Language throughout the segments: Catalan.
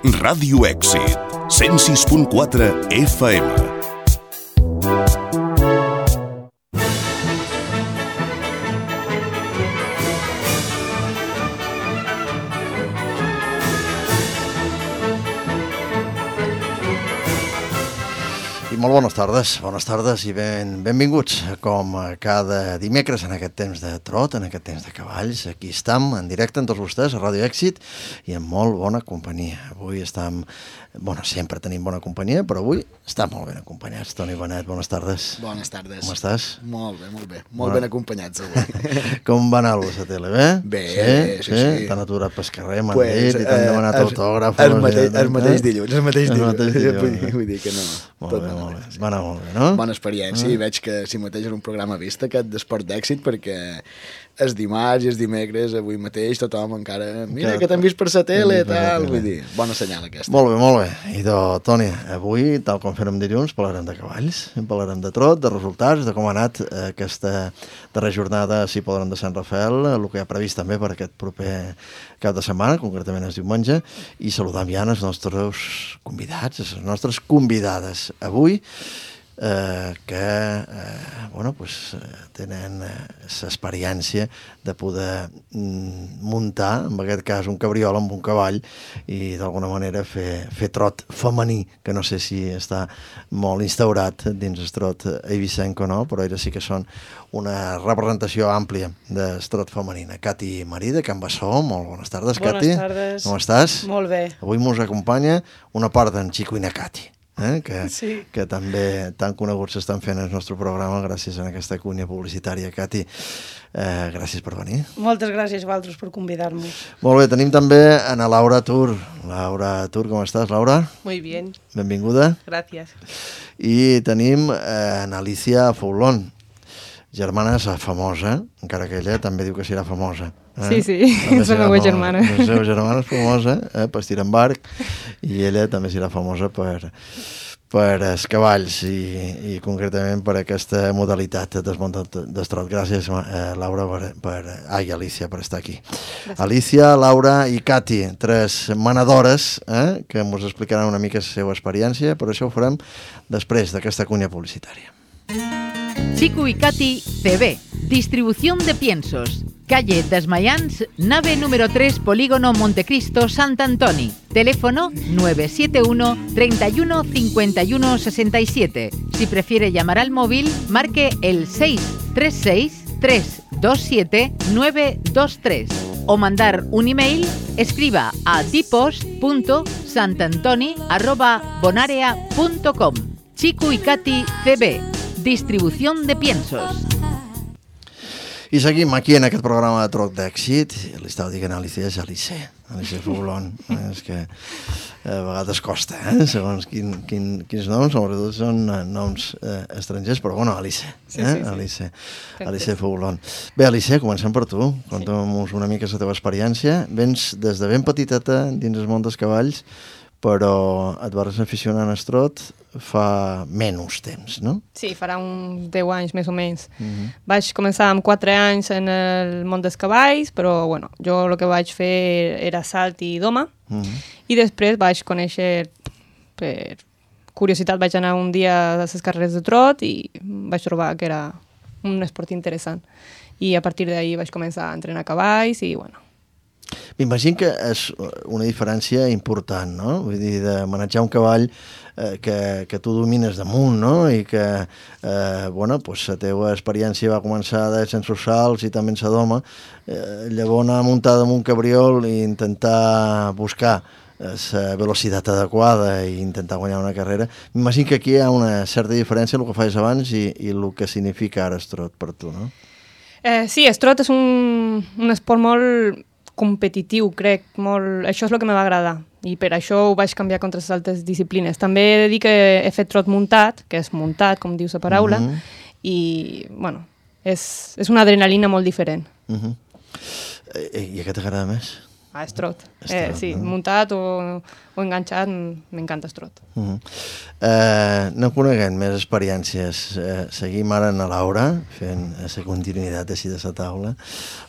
Ràdio Èxit, 106.4 FM. Molt bones tardes i benvinguts com cada dimecres en aquest temps de trot, en aquest temps de cavalls. Aquí estem en directe amb tots vostès a Ràdio Èxit i amb molt bona companyia. Avui estem, sempre tenim bona companyia, però avui estem molt ben acompanyats. Toni Benet, bones tardes. Bones tardes. Com estàs? Molt bé. Molt ben acompanyats avui. Com va anar a la tele, bé? Bé, sí. T'han aturat pel carrer, m'han dit, i t'han demanat autògrafs. El mateix dilluns. Vull dir que no. Molt bé. Va anar molt bé, no? Bona experiència, i veig que si mateix és un programa vist aquest d'esport d'èxit, perquè és dimarts i és dimecres, avui mateix tothom encara... Mira, que t'han vist per la tele i tal, vull dir, bona senyal aquesta. Molt bé. I Toni, avui, tal com fèrem dilluns, parlarem de cavalls, parlarem de trot, de resultats, de com ha anat aquesta darrera jornada, si podrem, de Sant Rafael, el que hi ha previst també per aquest proper cap de setmana, concretament és diumenge, i saludam ja els nostres convidats, les nostres convidades. Avui, tenen l'experiència de poder muntar, en aquest cas, un cabriol amb un cavall i d'alguna manera fer trot femení, que no sé si està molt instaurat dins el trot eivissenc o no, però ells sí que són una representació àmplia del trot femenina. Cati Marí, de Can Bassó, molt bones tardes, Cati. Bones tardes. Com estàs? Molt bé. Avui ens acompanya una part d'en Xico i na Cati. Que també tan coneguts s'estan fent el nostre programa gràcies a aquesta cunya publicitària. Cati, gràcies per venir. Moltes gràcies a vosaltres per convidar-nos. Molt bé, tenim també a Laura Tur. Laura Tur, com estàs, Laura? Muy bien. Benvinguda. Gracias. I tenim a Alicia Foulon, germana famosa, encara que ella també diu que serà famosa. Sí, és la meva germana. La seva germana és famosa per estirar en barc i ella també serà famosa per els cavalls i concretament per aquesta modalitat del trot. Gràcies, Laura, Alicia, per estar aquí. Gràcies. Alicia, Laura i Cati, tres manadores que ens explicaran una mica la seva experiència, però això ho farem després d'aquesta cunya publicitària. Xico y Cati CB, distribución de piensos. Calle Desmayans, nave número 3, Polígono Montecristo, Sant Antoni. Teléfono 971 31 51 67. Si prefiere llamar al móvil, marque el 636 327 923. O mandar un email, escriba a dipos.santantoni@bonarea.com. Xico y Cati CB, distribución de piensos. I seguim aquí en aquest programa de trot d'èxit. Li estava dient a Alicia, és Alicia Foulon. És que a vegades costa, segons quins noms, sobretot són noms estrangers, però Alicia. Sí. Alicia Foulon. Bé, Alicia, comencem per tu. Conta'm una mica la teva experiència. Vens des de ben petiteta dins el món dels cavalls, però et vas aficionar al trot fa menys temps, no? Sí, farà uns 10 anys més o menys. Vaig començar amb 4 anys en el món dels cavalls, però jo el que vaig fer era salt i doma, i després vaig conèixer, per curiositat, vaig anar un dia a les carreres de trot i vaig trobar que era un esport interessant. I a partir d'ahir vaig començar a entrenar cavalls i M'imagino que és una diferència important, no? Vull dir, de manejar un cavall que tu domines damunt, no? I que, la teva experiència va començar sense els salts i també en la doma. Llavors anar muntada amb un cabriol i intentar buscar la velocitat adequada i intentar guanyar una carrera. M'imagino que aquí hi ha una certa diferència el que feies abans i el que significa ara el trot per tu, no? Sí, el trot és un esport molt competitiu, crec, molt... Això és el que me va agradar i per això ho vaig canviar contra les altres disciplines. També he de dir que he fet trot muntat, que és muntat, com diu la paraula, i, és una adrenalina molt diferent. I què t'agrada més? és trot. Sí, muntat o enganxat, m'encanta el trot. No coneguem més experiències. Seguim ara en la Laura, fent la continuïtat així de la taula.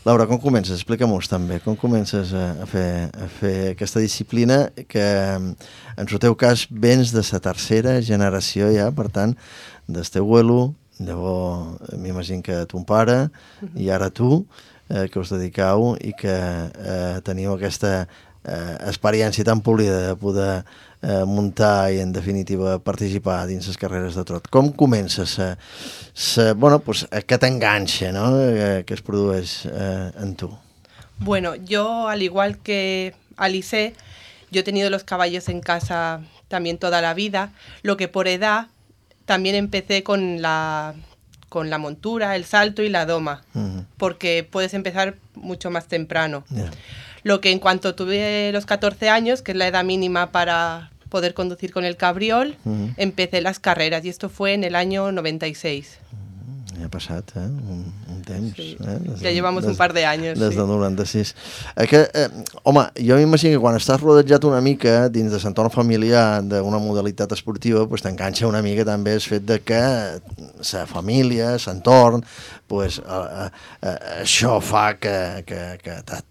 Laura, com comences? Explica-m'ho també. Com comences a fer aquesta disciplina que, en el teu cas, vens de la tercera generació ja, per tant, del teu abuelo, llavors m'imagino que ton pare i ara tu, que us dedicau i que teniu aquesta experiència tan polida de poder muntar i, en definitiva, participar dins les carreres de trot. Com comença aquest enganxe, no?, que es produeix en tu? Bueno, yo, al igual que Alice, yo he tenido los caballos en casa también toda la vida, lo que por edad también empecé con la montura, el salto y la doma, porque puedes empezar mucho más temprano. Yeah. Lo que en cuanto tuve los 14 años, que es la edad mínima para poder conducir con el cabriol, empecé las carreras, y esto fue en el año 96. Ja ha passat, un temps. Sí. Ja llevamos un par de anys. Des del 96. Home, jo m'imagino que quan estàs rodejat una mica dins de l'entorn familiar d'una modalitat esportiva, pues, t'enganxa una mica també el fet de que la família, l'entorn, pues, això fa que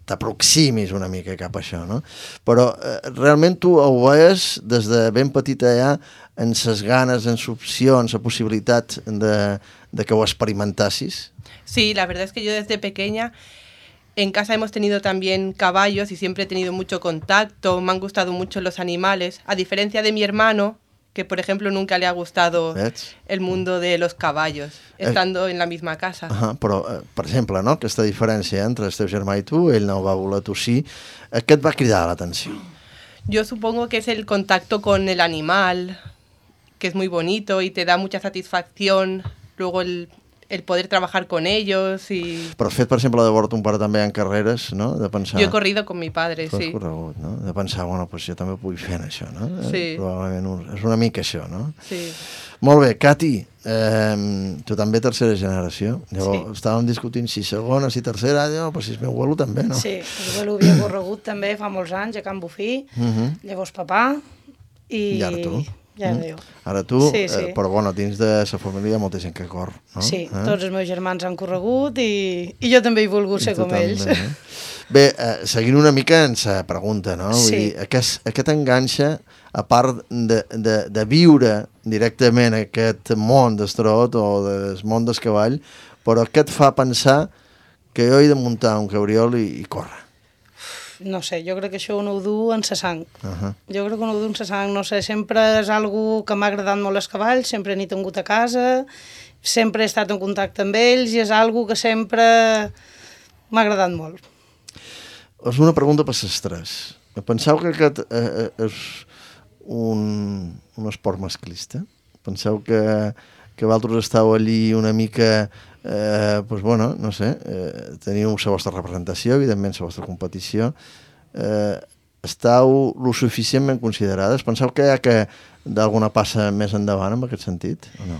t'aproximis una mica cap a això, no? Però realment tu ho veies des de ben petita ja en ses ganes, en l'opció, en la possibilitat de que ho experimentassis? Sí, la verdad es que yo desde pequeña en casa hemos tenido también caballos y siempre he tenido mucho contacto, me han gustado mucho los animales, a diferencia de mi hermano, que por ejemplo nunca le ha gustado el mundo de los caballos, estando en la misma casa. Però, per exemple, no? Aquesta diferència entre el teu germà i tu, ell no ho va voler, tu sí, què et va cridar l'atenció? Yo supongo que es el contacto con el animal, que es muy bonito y te da mucha satisfacción. Luego el poder trabajar con ellos y... Però el fet, per exemple, de veure ton pare també en carreres, no?, de pensar... Yo he corrido con mi padre, sí. Sí. Corregut, no?, de pensar, bueno, pues jo també puc fer això, no? Sí. Probablement és una mica això, no? Sí. Molt bé, Cati, tu també tercera generació. Llavors, Sí. estàvem discutint si segona, si tercera, pues si és meu abuelo també, no? Sí, el abuelo havia corregut també fa molts anys a Can Bufí, llavors papà I ara tu. I ara jo. Ara tu, Sí, sí. però bueno, dins de la família hi ha molta gent que cor, no? Sí, tots els meus germans han corregut i jo també he volgut ser com ells. Bé, seguint una mica en la pregunta, no? Vull dir, aquest enganxa, a part de viure directament aquest món del trot o del món del cavall, però què et fa pensar que jo he de muntar un cabriol i córrer? No sé, jo crec que això no ho du en sa sang. Jo crec que no ho du en sa sang, no sé, sempre és algo que m'ha agradat molt els cavalls, sempre n'he tingut a casa, sempre he estat en contacte amb ells i és algo que sempre m'ha agradat molt. És una pregunta per les tres. Penseu que aquest és un esport masclista? Penseu que vosaltres esteu allí una mica, doncs bueno, no sé, teniu la vostra representació, evidentment la vostra competició, esteu lo suficientment considerades? Penseu que hi ha que d'alguna passa més endavant en aquest sentit, o no?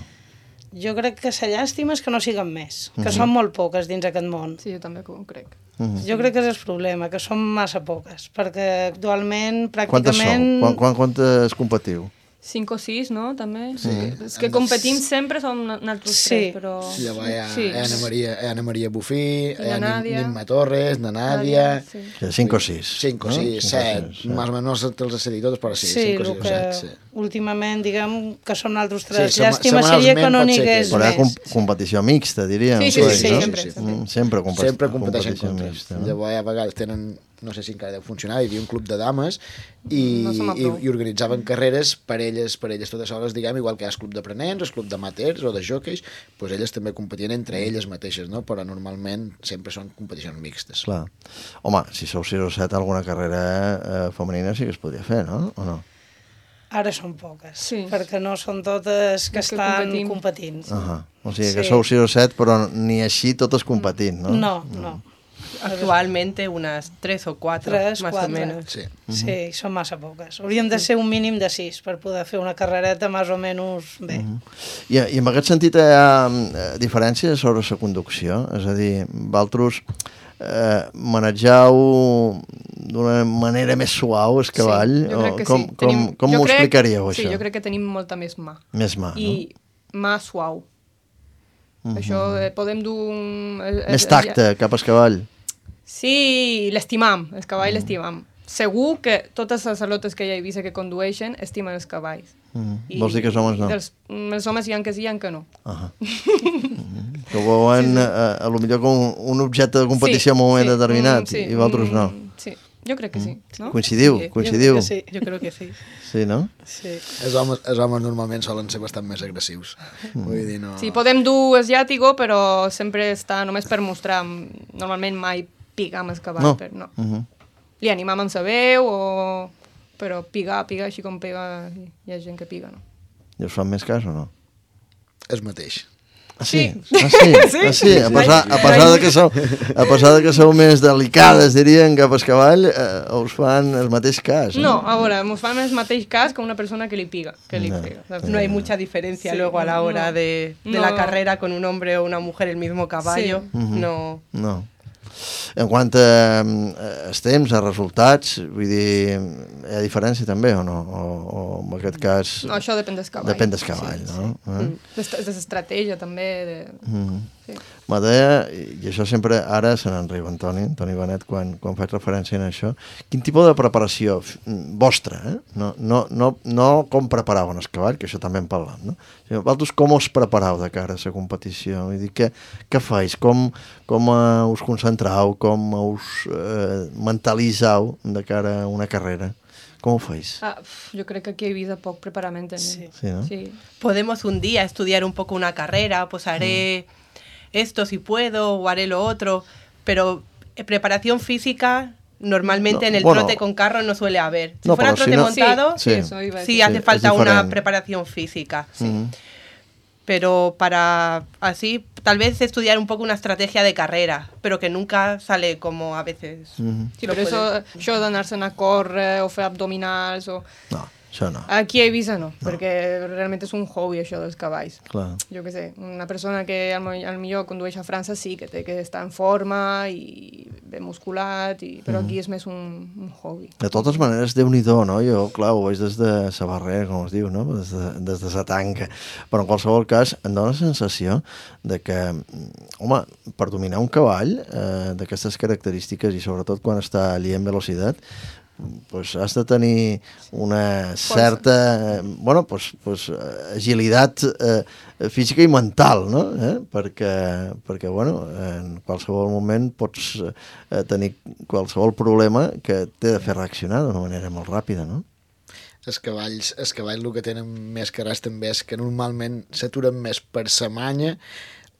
Jo crec que la llàstima és que no siguen més, que són molt poques dins aquest món. Sí, jo també ho crec. Jo crec que és el problema, que són massa poques, perquè actualment pràcticament... Quantes competiu? 5 o 6, no? També. Sí. És que competim sempre som nosaltres tres, però... Llavors hi ha Ana Maria Bufí, hi ha Nàdia. Nimma Torres, na Nàdia... 5 o 6. 5 o 6, 7, més o menys te'ls he dit tots, però sí, 5 o 6 o 7, sí. Últimament, diguem que som nosaltres tres. Sí, Llàstima seria que no n'hi hagués Però hi ha més. competició mixta, diríem. Sí, sempre. Sempre competeixen competició contra. mixta. Llavors a vegades tenen, no sé si encara deu funcionar, hi havia un club de dames i organitzaven carreres per elles totes soles, diguem, igual que hi ha el club d'aprenents, el club d'amateurs o de jockeys, doncs elles també competien entre elles mateixes, no? Però normalment sempre són competicions mixtes. Clar. Home, si sou 6 o 7, alguna carrera femenina sí que es podria fer, no? O no? Ara són poques, Sí. perquè no són totes que estan competint. O sigui que sou 6 o 7, però ni així totes competint, no? No. Actualmente unas 3 o 4, más o menos. Sí. Sí, són massa poques. Hauríem de ser un mínim de 6 per poder fer una carrereta més o menys bé. I en aquest sentit hi ha diferències sobre la conducció? És a dir, vosaltres manejau d'una manera més suau el cavall? Sí, jo crec que com, sí. Com m'ho explicaríeu, això? Sí, jo crec que tenim molta més mà. Més mà, no? I mà suau. Això podem dur... Més tacte cap al cavall. Sí, l'estimam, el cavall l'estimam. Segur que totes les alotes que ja he vist que condueixen estimen els cavalls. Vols dir que els homes no? Els homes hi ha que sí, hi ha que no. Que ho veuen a lo millor com un objecte de competició en un moment determinat i vosaltres no. Sí, jo crec que sí. No? Coincidiu? Jo crec que sí. Sí, no? Sí. Els homes normalment solen ser bastant més agressius. Vull dir, no... Sí, podem dur el llàtigo, però sempre està només per mostrar. Normalment mai pigar amb el cavall. No. Li animam amb la veu, però pigar així com pega, hi ha gent que piga, no? I us fan més cas o no? És mateix. Ah, sí? Ah, sí? A pesar de que sou més delicades, dirien, cap al cavall, us fan el mateix cas. No, a veure, ens fan el mateix cas que una persona que li piga. No hay mucha diferencia luego a la hora de la carrera con un hombre o una mujer el mismo caballo. No. En quant a els temps, a resultats, vull dir, hi ha diferència també o no? O en aquest cas... No, això depèn del cavall. Depèn del cavall, no? De l'estratègia també. Sí. Me deia, i això sempre ara se n'en riu Antoni Benet, quan faig referència a això, quin tipus de preparació vostra, no com preparau en el cavall, que això també en parlam, no? Vosaltres com us preparau de cara a la competició? Vull dir, què feis? Com us concentrau? Com us mentalitzau de cara a una carrera? Com ho feis? Jo crec que aquí he vist poc preparament. Sí, no? Sí. Podemos un día estudiar un poco una carrera, pues haré esto si puedo o haré lo otro, pero preparación física normalmente en el trote con carro no suele haber. Si fuera trote montado, sí hace falta una preparación física. Pero para así, tal vez estudiar un poco una estrategia de carrera, pero que nunca sale como a veces. Sí, per això d'anar-se'n a córrer o fer abdominals o... No, això no. Aquí a Eivissa no, perquè realment és un hobby això dels cavalls. Clar. Jo què sé, una persona que al millor condueix a França sí que té que estar en forma i ben musculat, però aquí és més un hobby. De totes maneres, Déu-n'hi-do, no? Jo, clar, ho veig des de sa barrera, com es diu, no? Des de sa tanca. Però en qualsevol cas, em dóna la sensació de que, home, per dominar un cavall d'aquestes característiques i sobretot quan està allí en velocitat, pues has de tenir una certa agilitat física i mental, no? Perquè en qualsevol moment pots tenir qualsevol problema que t'he de fer reaccionar d'una manera molt ràpida, no? Els cavalls el que tenen més carrers també és que normalment s'aturen més per sa manya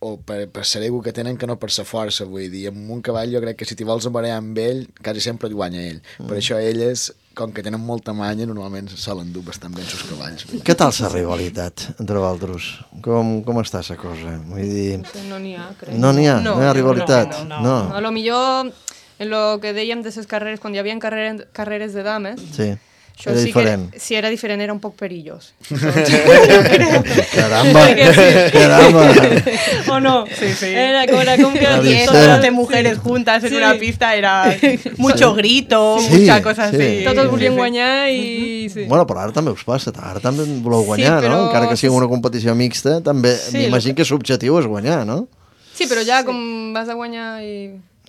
o per ser ego que tenen que no per sa força, vull dir, amb un cavall jo crec que si t'hi vols embarallar amb ell, quasi sempre et guanya ell. Per això elles, com que tenen molta manya, normalment solen dur bastant bé els cavalls. Què tal la rivalitat entre vosaltres? Com està la cosa? Vull dir... No n'hi ha, crec. No n'hi ha rivalitat? No. A lo millor, en lo que dèiem de les carreres, quan hi havia carreres de dames... Sí. Això era diferent. Si era diferent, era un poc perillós. Caramba! ¿O no? Sí. Era como que... 10 mujeres juntas en una pista, era mucho grito, mucha cosa así. Totes volien guanyar i... Sí. Bueno, però ara també us passa, ara també voleu guanyar, no? Encara que sigui una competició mixta, també m'imagino que l'objectiu és guanyar, no? Sí, però ja com vas a guanyar i...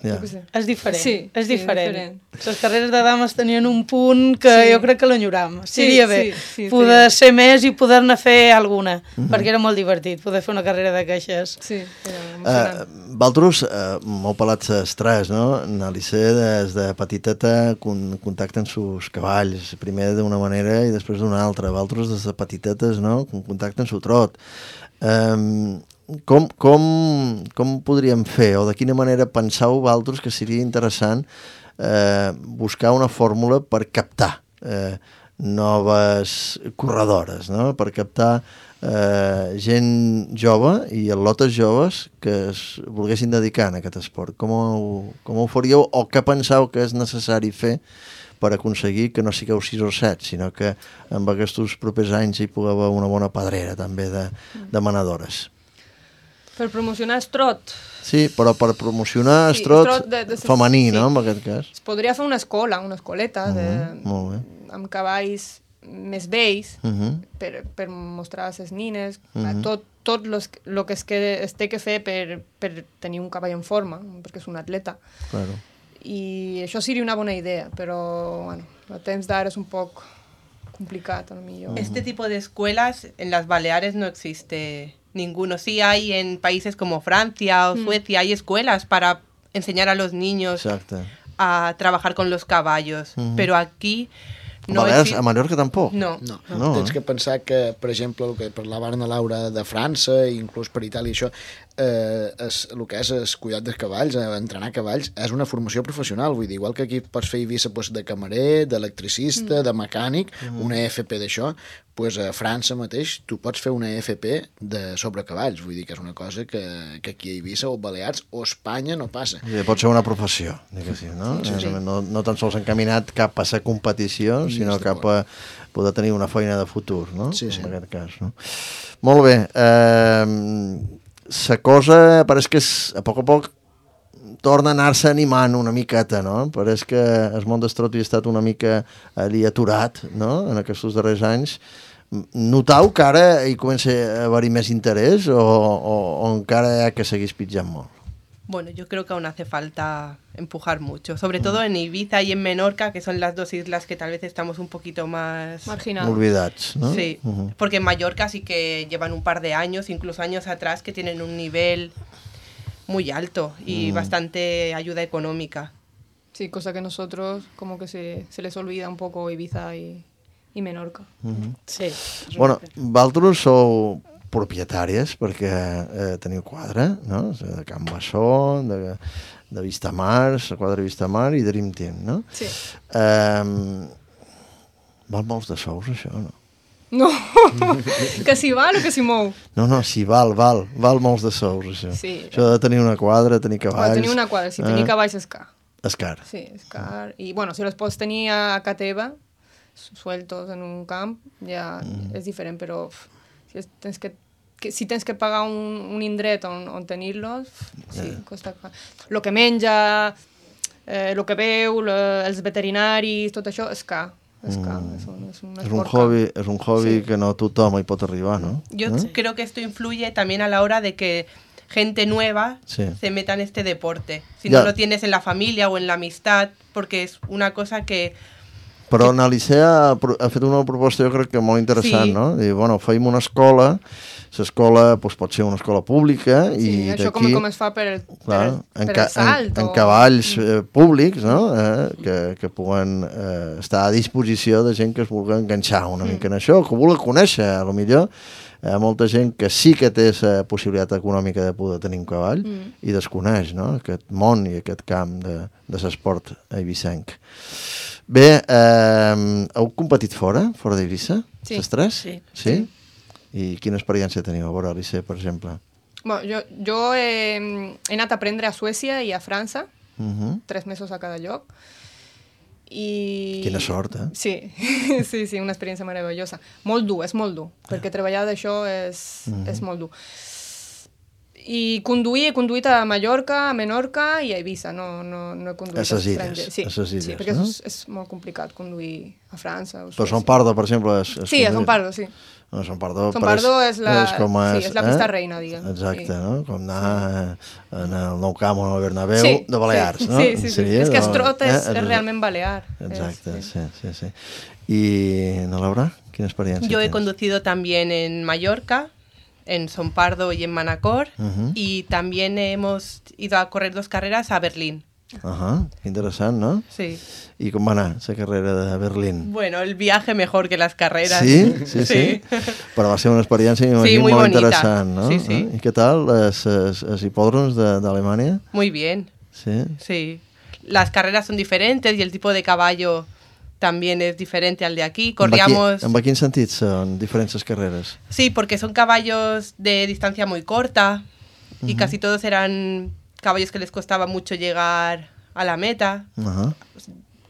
És diferent. Sí, és diferent. Les carreres de dames tenien un punt que jo crec que l'enyoram. Seria bé poder ser més i poder-ne fer alguna, perquè era molt divertit poder fer una carrera de queixes. Sí, era emocionant. Vosaltres m'heu pelat les tres, no? N'Alicé des de petiteta contacten sus cavalls, primer d'una manera i després d'una altra. Vosaltres des de petitetes, no? Contacten su trot. Com podríem fer o de quina manera penseu vosaltres que seria interessant buscar una fórmula per captar noves corredores, no? Per captar gent jove i atletes joves que es volguessin dedicar a aquest esport. Com ho faríeu o què penseu que és necessari fer per aconseguir que no sigueu 6 o 7, sinó que en aquests propers anys hi pugueu haver una bona pedrera també de manadores? Per promocionar el trot. Sí, però per promocionar el trot femení, no, en aquest cas. Es podria fer una escoleta Molt bé. amb cavalls més vells per mostrar a les nines tot el que es té que fer per tenir un cavall en forma, perquè és un atleta. Claro. I això seria una bona idea, però bueno, el temps d'ara és un poc complicat, a lo millor. Este tipo de escuelas en las Baleares no existe ninguno. Sí hay en países como Francia o Suecia, hay escuelas para enseñar a los niños a trabajar con los caballos, pero aquí no a Mallorca tampoc? No. Tens que pensar que, per exemple, el que parlaven a Laura de França i inclús per Itàlia, això, el que és el cuidat dels cavalls, entrenar cavalls, és una formació professional. Vull dir, igual que aquí pots fer Eivissa de camarer, d'electricista, de mecànic, una EFP d'això, doncs a França mateix tu pots fer una EFP sobre cavalls. Vull dir que és una cosa que aquí a Eivissa o Balears o Espanya no passa. Pot ser una professió, diguéssim, no? Sí. No tan sols encaminat cap a la competició, sinó cap a poder tenir una feina de futur, no? Sí. En aquest cas, no? Molt bé. La cosa pareix que a poc torna a anar-se animant una miqueta, no? Pareix que el món del trot hi ha estat una mica allí aturat, no?, en aquests darrers anys. Notau que ara hi comença a haver-hi més interès o encara hi ha que seguir pitjant molt? Bueno, yo creo que aún hace falta empujar mucho, sobre todo en Ibiza y en Menorca, que son las dos islas que tal vez estamos un poquito más marginados. Olvidats, ¿no? Sí, porque en Mallorca sí que llevan un par de años, incluso años atrás, que tienen un nivel muy alto y bastante ayuda económica. Sí, cosa que nosotros como que se les olvida un poco Ibiza y Menorca. Sí. Bueno, vosaltres sou propietàries perquè teniu quadre, no? De Can Bassó, de Vistamar, la quadra Vistamar i Dream Team, no? Sí. Val molts de sous, això, no? No, que si val o que si mou? No, sí, val molts de sous, això. Sí. Això de tenir una quadra, tenir cavalls... Tenir una quadra, si tenir cavalls és car. És car. Sí, és car. I, bueno, si els pots tenir a ca teva, sueltos en un camp, ja és diferent, però si tens que pagar un indret on tenir-los, sí, costa car. Lo que menja, lo que veu, els veterinaris, tot això és car. És un hobby que no tothom hi pot arribar, ¿no? Yo creo que esto influye también a la hora de que gente nueva se meta en este deporte. Si no lo tienes en la familia o en la amistad, porque es una cosa que... Però Alice ha fet una proposta, jo crec que molt interessant, no? Diu, bueno, feim una escola, l'escola pot ser una escola pública i això d'aquí... com es fa per el salt. En cavalls públics, no? Que puguen estar a disposició de gent que es vulgui enganxar una mica en això, que vulgui conèixer, a lo millor, molta gent que sí que té la possibilitat econòmica de poder tenir un cavall i desconeix, no?, aquest món i aquest camp de l'esport eivissenc. Bé, heu competit fora d'Eivissa? Sí. Les tres? Sí. I quina experiència teniu a veure, Alice, per exemple? Bueno, jo he anat a aprendre a Suècia i a França, 3 mesos a cada lloc. Quina sort, eh? Sí, una experiència meravellosa. És molt dur, perquè treballar d'això és molt dur. I he conduït a Mallorca, a Menorca i a Eivissa, no he conduït a estrangers. Sí, perquè és molt complicat conduir a França o Suècia. Però Son Pardo, per exemple... Sí, a Son Pardo, sí. Son Pardo és la pista reina, diguem. Exacte, no? Com anar en el Nou Camp o en el Bernabéu de Balears, no? Sí. És que el trot és realment balear. Exacte, sí. I, Laura, quina experiència Yo he tens? conducido también en Mallorca, en Son Pardo y en Manacor, y también hemos ido a correr 2 carreras a Berlín. Interessant, no? Sí. I com va anar la carrera de Berlín? Bueno, el viaje mejor que las carreras. Sí. Però va ser una experiència muy molt bonita. interessant, no? Sí. I què tal, els hipòdroms d'Alemanya? Muy bien. Sí. Las carreras son diferentes y el tipo de caballo también es diferente al de aquí. Corríamos... En quin sentit són diferents les carreres? Sí, porque son caballos de distancia muy corta y casi todos eran caballos que les costaba mucho llegar a la meta.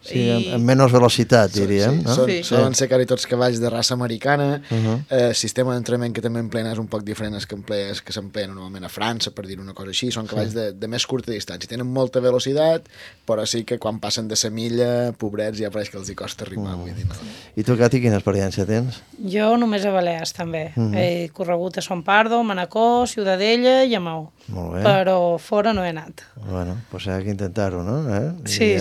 Sí, amb menys velocitat, diríem. Solen ser quasi tots cavalls de raça americana. El sistema d'entrenament que també empleen és un poc diferent als que s'empleen normalment a França, per dir una cosa així. Són cavalls de més curta distància. Tenen molta velocitat, però sí que quan passen de la milla, pobrets, ja pareix que els hi costa arribar. I tu, Cati, quina experiència tens? Jo només a Balears, també. He corregut a Son Pardo, Manacor, Ciutadella i a Maó. Molt bé. Però fora no he anat. Bueno, doncs hi ha que intentar-ho, no? Sí.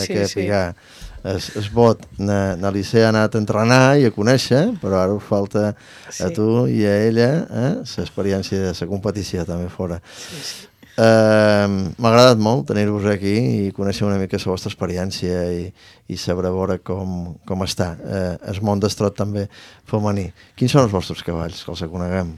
Es vot, na Licea ha anat a entrenar i a conèixer, però ara us falta a tu i a ella l'experiència de la competició també fora. M'ha agradat molt tenir-vos aquí i conèixer una mica la vostra experiència i saber veure com està el món d'estrot també femení. Quins són els vostres cavalls, que els coneguem?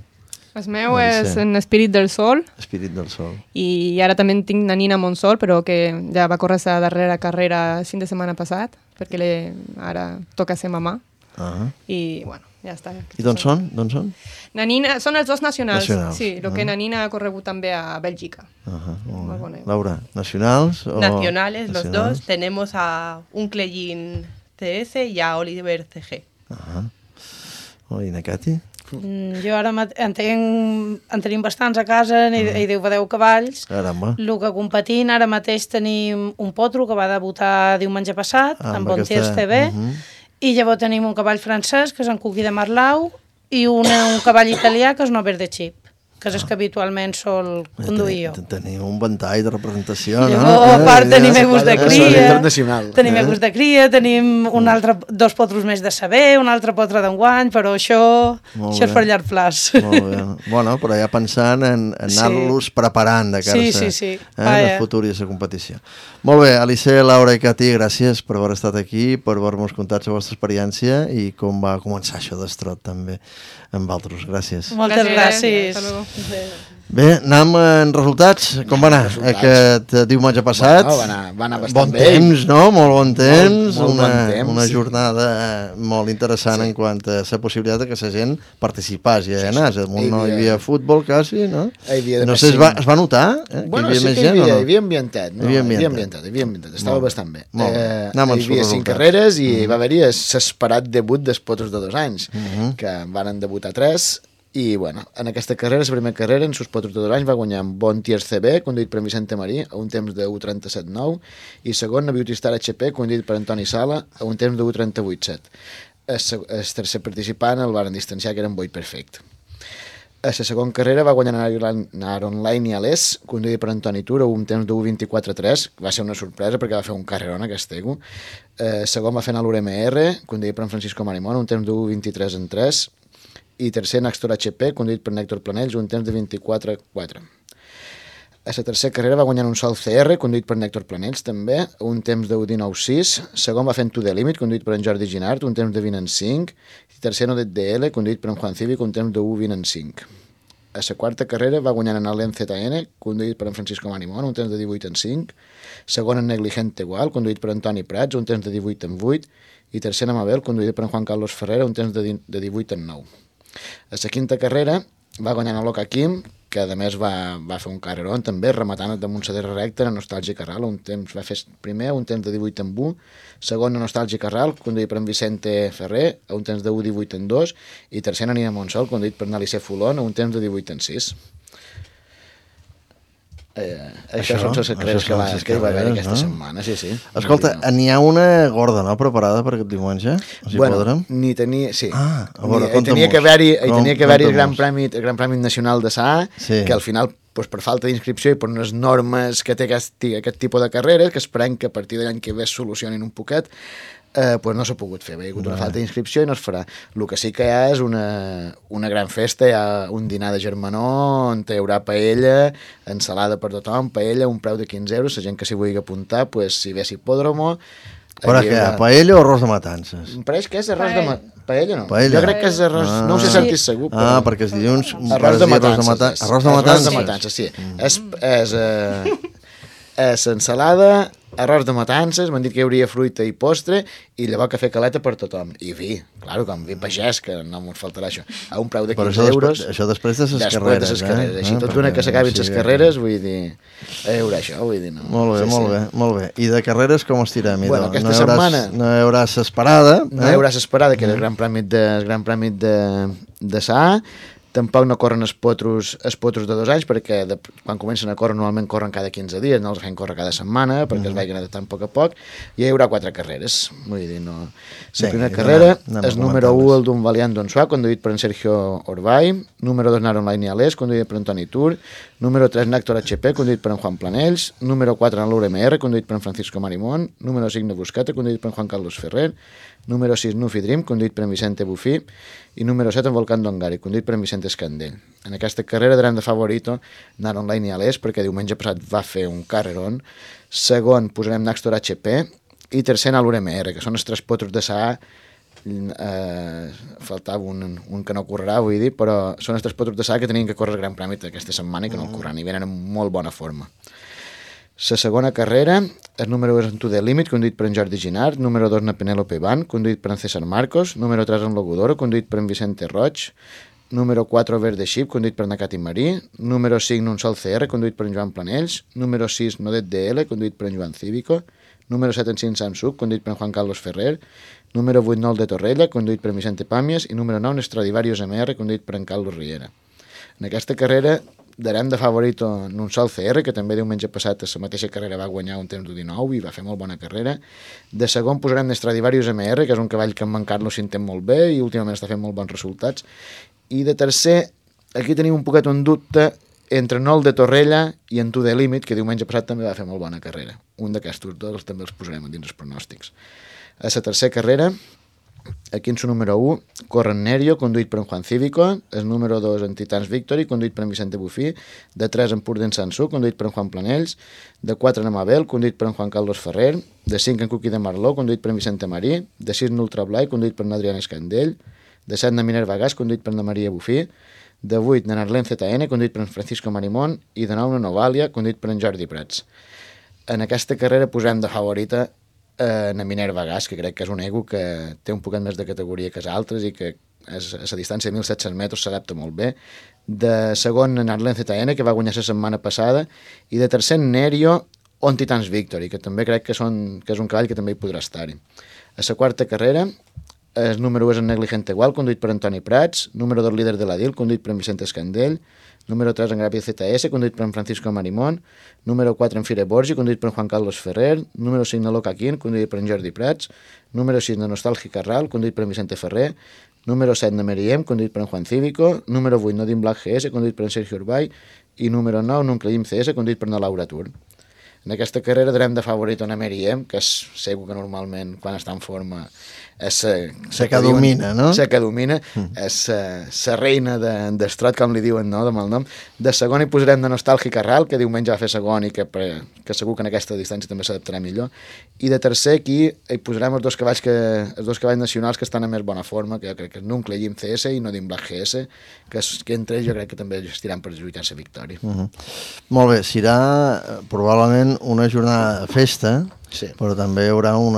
El meu és en Espírit del Sol. Espírit del Sol. I ara també tinc na Nina Montsol, però que ja va córrer la darrera carrera el fin de setmana passat, perquè ara toca ser mamà. I, bueno, ja està. I d'on són? Na Nina, són els dos nacionals. Sí, el que na Nina ha corregut també a Bèlgica. Laura, ¿nacionals? Nacionales, los dos. Tenemos a un Cleyin TS i a Oliver CG. I na Cati? Jo ara en tenim bastants a casa, hi deu 10 cavalls. Caramba. El que competint, ara mateix tenim un potro que va debutar diumenge passat, amb Bontiers TV, i llavors tenim un cavall francès, que és en Cuqui de Marlau, i un cavall italià, que és Nover de Chip, que és el que habitualment sol conduir jo. Tenim un ventall de representació, no? A part tenim egos de cria, tenim dos potros més de saber, un altre potre d'enguany, però això és per llarg plaç. Molt bé. Bueno, però ja pensant en anar-los preparant de cara a la futura i a la competició. Molt bé, Alice, Laura i Cati, gràcies per haver estat aquí, per haver-nos contat la vostra experiència i com va començar això d'estrot també amb altres. Gràcies. Moltes gràcies. Bé, anem en resultats. Com va anar aquest diumenge passat? Va anar bastant bon bé. Bon temps, no? Molt bon temps. Molt bon temps. Una jornada molt interessant en quant a la possibilitat que la gent participés i anés. No hi havia futbol quasi, no? No sé, es va notar? Bueno, sí que hi havia ambientat. Hi havia ambientat. Estava bastant bé. Hi havia 5 carreres i va haver-hi l'esperat debut dels potros de 2 anys, que van debutar 3. I, bueno, en aquesta carrera, la primera carrera, en sus potros de 2 anys, va guanyar amb Bontiers CB, conduït per Vicente Marí, a un temps de 1:37.9, i segon, a Beauty Star HP, conduït per Antoni Sala, a un temps de 1:38.7. El tercer participant el varen distanciar, que era en Boyd Perfect. A la segona carrera va guanyar Aaron Line i Alès, conduït per Antoni Tur, a un temps de 1:24.3, va ser una sorpresa perquè va fer un carrerón aquest ego. Segon va fer l'URMR, conduït per Francisco Marimón, a un temps de 1:23.3, i tercer Naxtor HP, conduït per Nèctor Planells, un temps de 24.4. A la tercera carrera va guanyar un Sol CR, conduït per Nèctor Planells, també, un temps de 1:19.6. Segon va fer en To The Limit, conduït per en Jordi Ginart, un temps de 20.5. I tercer no DL, conduït per en Juan Cívic, un temps de 1:20.5. A la quarta carrera va guanyar en Allen ZN, conduït per en Francisco Marimón, un temps de 18.5. Segon en Negligente Igual, conduït per Antoni Prats, un temps de 18.8. I tercer en Amabel, conduït per en Juan Carlos Ferrera, un temps de 18.9. A la quinta carrera va guanyar en l'Oca Quim, que a més va fer un carrerón també, rematant damunt la terra recta en Nostàlgic Arral, un temps va fer primer, un temps de 18.1, segon en Nostàlgic Arral, conduït per en Vicente Ferrer, a un temps de 1:18.2, i tercer en Nina Montsol, conduït per Nalice Fulón, a un temps de 18.6. Això són les carreres que hi va haver aquesta setmana, sí. Escolta, n'hi ha una gorda, no?, preparada per aquest diumenge? Bueno, n'hi tenia... Sí. Tenia que haver-hi el Gran Premi Nacional de Saà, que al final, per falta d'inscripció i per unes normes que té aquest tipus de carreres, que esperem que a partir de l'any que ve es solucionin un poquet, no s'ha pogut fer, hi ha hagut una falta d'inscripció i no es farà. El que sí que hi ha és una gran festa, hi ha un dinar de germanor on hi haurà paella, ensalada per tothom, paella, un preu de 15 euros, la gent que s'hi vulgui apuntar, si ve a Hipòdromo. Però què, paella o arròs de matances? Em pareix que és arròs de matances. Paella no? Jo crec que és arròs... No ho sé si segur. Perquè els dilluns... Arròs de matances. Arròs de matances, sí. És ensalada, arròs de matances, m'han dit que hi hauria fruita i postre, i llavors cafè caleta per tothom. I vi, claro, com vi pagès, que no m'ho faltarà això. A un preu de 15 euros. Això després de les carreres, Així, tot d'una que s'acabin les carreres, vull dir, a veure això, vull dir, no. Molt bé. I de carreres com estirem? Bueno, aquesta setmana... No hi haurà s'esperada. No hi haurà s'esperada, que era el Gran Premi de Saà. Tampoc no corren els potros de 2 anys, perquè quan comencen a córrer normalment corren cada 15 dies, no els fem córrer cada setmana, perquè es vagin adaptant a poc a poc, i hi haurà 4 carreres. Vull dir, no... La primera carrera és número 1, el d'un Valiant d'Onsuà, conduït per en Sergio Orbay, número 2, Nar Online Ialés, conduït per Antoni Tur, número 3, Nàctor HP, conduït per en Juan Planells, número 4, l'URMR, conduït per en Francisco Marimón, número 5, Nebuscata, conduït per en Juan Carlos Ferrer, número 6, Nufi Dream, conduït per en Vicente Bufí, i número 7, en Volcán Dongari, conduït per en Vicente Escandell. En aquesta carrera darem de favorito Nar Online Ialés, perquè diumenge passat va fer un carrerón. Segon posarem Nàctor HP, i tercer l'URMR, que són els 3 potros de Saà. Faltava un que no correrà, vull dir, però són els 3 potros de Saà que tenien que córrer el Gran Premi aquesta setmana i que no el corren, i venen en molt bona forma. La segona carrera, el número 1 és en To The Limit, conduït per en Jordi Ginard, número 2 en Penélope Van, conduït per en César Marcos, número 3 en Logodoro, conduït per en Vicente Roig, número 4 Verde Ship, conduït per Nakati Marí, número 5 Un Sol CR, conduït per en Joan Planells, número 6 Nodet DL, conduït per en Joan Cívico, número 7 en Cint Samsung, conduït per en Juan Carlos Ferrer, número 8 Nol de Torrella, conduït per en Vicente Pàmies, i número 9 Stradivarius MR, conduït per en Carlos Riera. En aquesta carrera darem de favorito en Un Sol CR, que també diumenge passat a la mateixa carrera va guanyar un temps d'19 i va fer molt bona carrera. De segon posarem Stradivarius MR, que és un cavall que en Carlos s'entén molt bé i últimament està fent molt bons resultats. I de tercer, aquí tenim un poquet un dubte entre Nol de Torrella i en To The Limit, que diumenge passat també va fer molt bona carrera. Un d'aquests dos també els posarem dins els pronòstics. A la tercera carrera, aquí en su número 1, corre en Nerio, conduït per en Juan Cívico, el número 2 en Titans Victory, conduït per en Vicente Bufí, de 3 en Prudent Sansú, conduït per en Juan Planells, de 4 en Amabel, conduït per en Juan Carlos Ferrer, de 5 en Cookie de Marló, conduït per en Vicente Marí, de 6 en Ultra Blai, conduït per en Adrián Escandell, de 7 en Minerva Gas, conduït per en Maria Bufí, de 8 en Arlen ZN, conduït per en Francisco Marimón, i de 9 en Novalia, conduït per en Jordi Prats. En aquesta carrera posem de favorita en Minerva Gas, que crec que és un ego que té un poquet més de categoria que els altres i que a la distància de 1.700 metres s'adapta molt bé. De segon en Arlen ZN, que va guanyar la setmana passada, i de tercer en Nerio on Titans Victory, que també crec que és un cavall que també hi podrà estar-hi. A la quarta carrera, el número 1 és en Negligente Igual, conduït per Antoni Prats, número 2 líder de la DIL, conduït per en Vicente Escandell, número 3 en Gràpia ZS, conduït per en Francisco Marimón, número 4 en Fire Borgi, conduït per en Juan Carlos Ferrer, número 5 en Loca Quint, conduït per en Jordi Prats, número 6 en Nostàlgic Carral, conduït per en Vicente Ferrer, número 7 en Meriem, conduït per en Juan Cívico, número 8 Nodin Black GS, conduït per en Sergio Urbay, i número 9 Nuncleim CS, conduït per en Laura Tur. En aquesta carrera darem de favorit a Meriem, que és segur que normalment quan està en forma és la que domina, no? La que domina, és la reina d'estrot, com li diuen, no?, de malnom. De segon hi posarem de Nostàlgic Carral, que diumenge va fer segon i que segur que en aquesta distància també s'adaptarà millor. I de tercer aquí hi posarem els dos cavalls nacionals que estan en més bona forma, que jo crec que és Nuncleim CS i Nodin Black GS, que entre ells jo crec que també estiran per lluitar la victòria. Molt bé, serà probablement una jornada de festa, sí, però també hi haurà un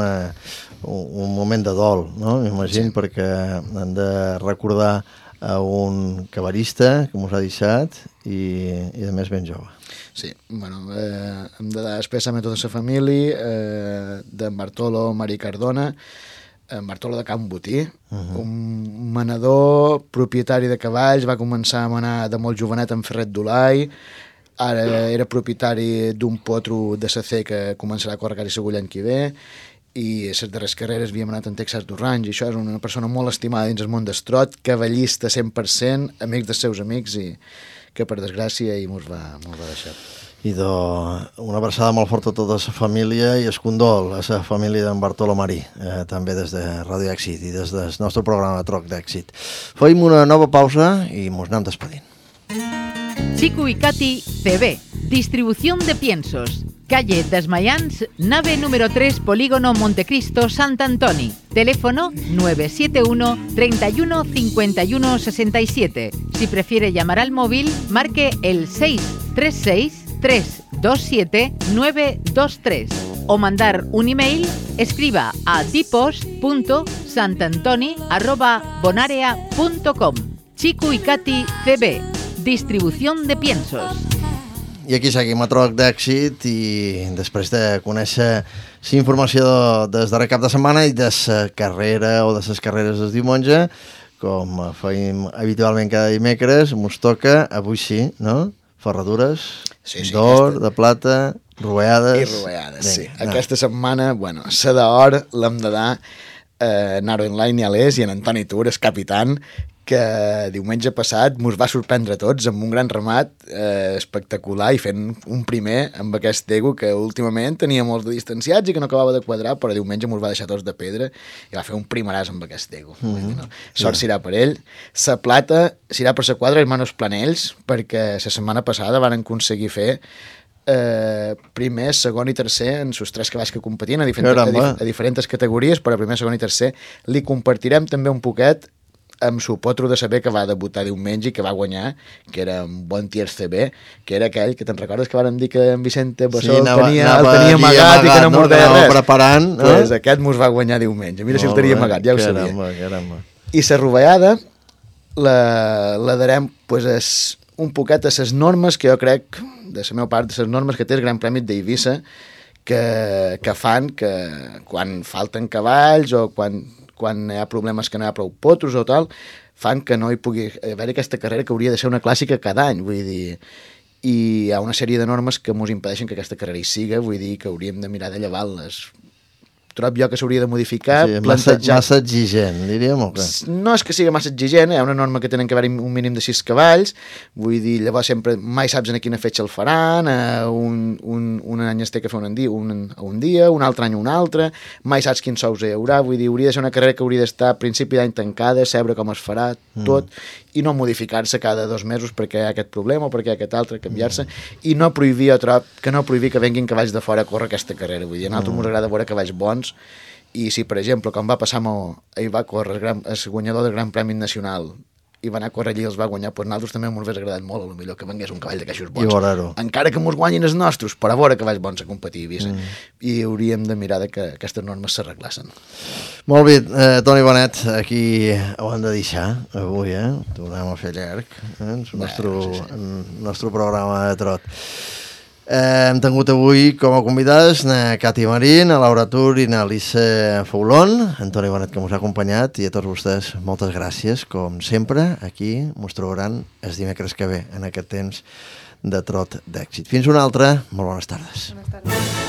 moment de dol, no? M'imagino, sí, perquè hem de recordar a un cavallista que mos ha deixat i a més ben jove. Sí, bueno, hem de dar expressament a tota la família d'en Bartolo Marí Cardona, en Bartolo de Can Botí, un manador, propietari de cavalls, va començar a manar de molt jovenet en Ferret d'Olai, ara era propietari d'un potro de SC que començarà a córrer quasi segur l'any que ve, i les darreres carreres havíem anat en Texas d'Orange, i això és una persona molt estimada dins el món d'estrot, cavallista 100%, amic dels seus amics, i que per desgràcia mos va deixar. I una abraçada molt forta a tota la família i es condol a la família d'en Bartolo Marí, també des de Ràdio Èxit i des del nostre programa Troc d'Èxit. Fem una nova pausa i mos anem despedint. Chico y Katy CB, distribución de piensos. Calle Desmayans, nave número 3, Polígono Montecristo, Sant Antoni. Teléfono 971 31 51 67. Si prefiere llamar al móvil, marque el 636 327 923. o mandar un email, escriba a tipos.santantoni@bonarea.com. Chico y Katy CB, distribución de piensos. I aquí seguim a Troc d'Èxit i després de conèixer la informació des darrer cap de setmana i de la carrera o de les carreres del diumenge, com feim habitualment cada dimecres, mos toca, avui sí, no? Ferradures, d'or, de plata, roveades... I roveades, sí. Aquesta setmana, bueno, la d'or l'hem de dar Naro Online i a l'Es i en Antoni Tur, el capitán, que diumenge passat mos va sorprendre a tots amb un gran remat espectacular i fent un primer amb aquest Dego que últimament tenia molts de distanciats i que no acabava de quadrar, però diumenge mos va deixar tots de pedra i va fer un primeràs amb aquest Dego. No? Sort serà per ell. La plata serà per la quadra Hermanos Planells, perquè la setmana passada van aconseguir fer primer, segon i tercer en els 3 cavalls que competien a diferents categories, però primer, segon i tercer li compartirem també un poquet amb su potro de saber que va debutar diumenge i que va guanyar, que era un bon tiers CB, que era aquell que te'n recordes que vàrem dir que en Vicente Bassol el tenia amagat i que no mordeia res? Preparant, pues aquest mos va guanyar diumenge. Mira si el tenia amagat, ja ho sabia. I la rovellada la darem pues, un poquet a les normes que jo crec, de la meva part, de les normes que té el Gran Premi d'Eivissa, que fan que quan falten cavalls o quan hi ha problemes que no hi ha prou potros o tal, fan que no hi pugui haver aquesta carrera que hauria de ser una clàssica cada any, vull dir, i hi ha una sèrie de normes que ens impedeixen que aquesta carrera hi siga, vull dir que hauríem de mirar de llevar-les. Trob jo que s'hauria de modificar, plantejar... Massa exigent, diríem, o què? No és que sigui massa exigent, hi ha una norma que tenen que haver un mínim de 6 cavalls, vull dir, llavors sempre mai saps en quina fetge el faran, un any es té que fer un dia, un altre any un altre, mai saps quins sous hi haurà, vull dir, hauria de ser una carrera que hauria d'estar a principi d'any tancada, saber com es farà, tot, i no modificar-se cada 2 mesos perquè hi ha aquest problema o perquè hi ha aquest altre, canviar-se, i no prohibir, jo trob, que no prohibir que venguin cavalls de fora a córrer aquesta carrera, vull dir, a nosaltres ens agrada veure cavalls bons, i si, per exemple, com va passar ahir va córrer el guanyador del Gran Premi Nacional i va anar a córrer allí i els va guanyar, doncs nosaltres també m'ho hagués agradat molt, potser que vengués un cavall de caixos bons. Encara que mos guanyin els nostres, per a veure cavalls bons a competir a Eivissa. I hauríem de mirar que aquestes normes s'arreglassin. Molt bé, Toni Bonet, aquí ho hem de deixar avui, tornem a fer llarg, el nostre programa de trot. Hem tingut avui com a convidades na Katy Marín, a Laura Tur i na Alice Foulon, Antoni Bonet que ens ha acompanyat, i a tots vostès moltes gràcies, com sempre, aquí ens trobaran els dimecres que ve en aquest temps de Trot d'Èxit. Fins una altra, molt bones tardes. Bones tardes.